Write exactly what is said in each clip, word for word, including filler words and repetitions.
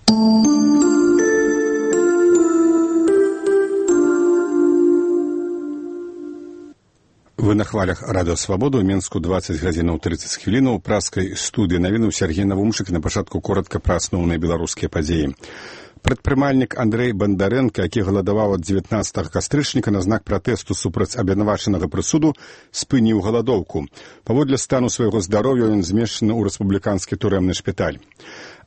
Вы на хвалях Радио Свобода, у Менску двадцать гадзінаў тридцать хвілінаў, у праскай студыі навіну Сергей Навумчык, на пачатку коротка пра асноўныя беларускія падзеі. Прадпрымальнік Андрэй Бандарэнка, які галадаваў ад дзевятнаццатага кастрычніка на знак пратэсту супраць абвінавачанага прысуду, спыніў галадоўку. Паводле стану свайго здароўя ён змешчаны ў рэспубліканскі турэмны шпіталь.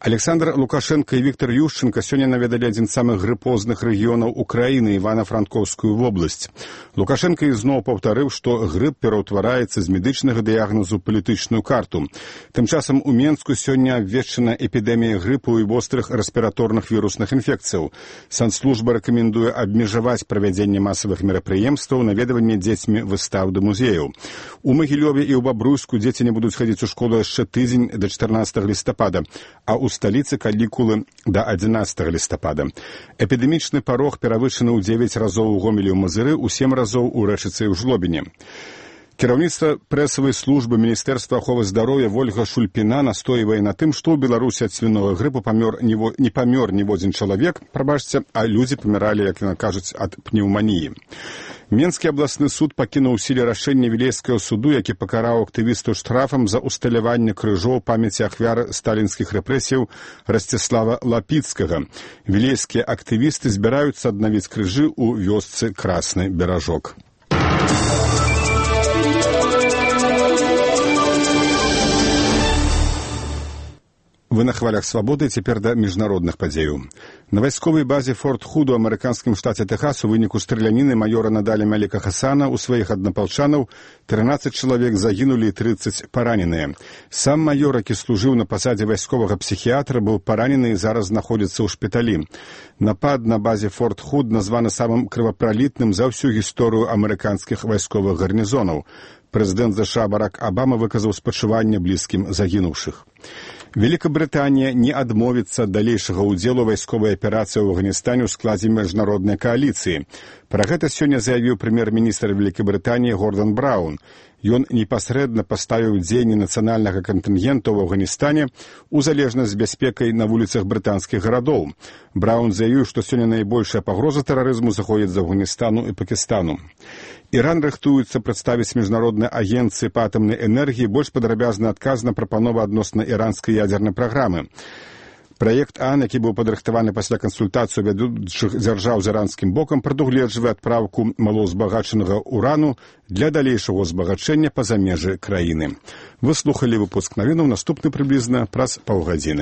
Александр Лукашенко і Віктор Ющенко сёння наведалі адзін з самых грыпозных рэгіёнаў Украіны, Івана-Франкоўскую вобласць. Лукашенко ізноў паўтарыў, што грып пераўтвараецца з медычнага дыягназу ў палітычную карту. Тым часам у Менску сёння абвешчана эпідэмія грыпу і вострых рэспіраторных вірусных інфекцыяў. Санслужба рэкамендуе абмежаваць правядзенне масавых мерапрыемстваў, наведванне дзецьмі выстаў да музеяў. У Магілёве і ў Бабруйску дзеці не будуць хадзіць у школу яшчэ тыдзень да чатырнаццатага лістапада, а ў сталіцы канікулы да адзінаццатага лістапада. Эпідэмічны парог перавышаны ў дзевяць разоў у Гомелі ў Мазыры, у сем разоў у Рэчыцы і ў Жлобіне. Кіраўніцтва прэсавай службы Міністэрства аховы здароўя Вольга Шульпіна настойвае на тым, што ў Беларусі ад свінога грыпу памёр не, не памёр ніводзін чалавек, прабачце, а людзі паміралі, як яна кажуць, ад пнеўманіі. Менскі абласны суд пакінуў у сіле рашэнне Вілейскага суду, які пакараў актывісту штрафам за усталяванне крыжоў памяці ахвяр сталінскіх рэпрэсіяў Расціслава Лапіцкага. Вілейскія актывісты збіраюцца аднавіць крыжы ў вёсцы Красны Беражок. Вы на хвалях свабоды, цяпер да міжнародных падзеяў. На вайсковай базе Форт Худ у амерыканскім штаце Тэхас у выніку страляніны маёра Надалі Маліка Хасана у сваіх аднапалчанаў трынаццаць чалавек загінулі і трыццаць параненыя. Сам маёр, які служыў на пасадзе вайсковага псіхіятра, быў паранены і зараз знаходзіцца ў шпіталі. Напад на базе Форт Худ названы самым крывапралітным за ўсю гісторыю амерыканскіх вайсковых гарнізонаў. Прэзідэнт ЗША Барак Абама выказаў спачуванне блізкім загінуўшых. Великабрытанія не адмовіцца ад далейшага ўдзелу вайсковай аперацыі ў Афганістане ў складзе міжнароднай кааліцыі. Пра гэта сёння заявіў прэм'ер-міністр Великабрытаніі Гордан Браун. Ён непасрэдна паставіў дзеянні нацыянальнага кантынгенту ў Афганістане у залежнасць з бяспекай на вуліцах брытанскіх гарадоў. Браун заявіў, што сёння найбольшая пагроза тэрарызму заходзіць з Афганістану і Пакістану. Іран рыхтуецца прадставіць міжнароднай агенцыі па атамнай энергіі больш падрабязны адказ на прапанову адносна іранскай ядзернай праграмы. Праект ААН, які быў падрыхтаваны пасля кансультацыі вядучых дзяржаў з іранскім бокам, прадугледжвае адпраўку малаўзбагачанага урану для далейшага ўзбагачэння па-за межы краіны. Вы слухалі выпуск навінаў, наступны прыблізна праз паўгадзіны.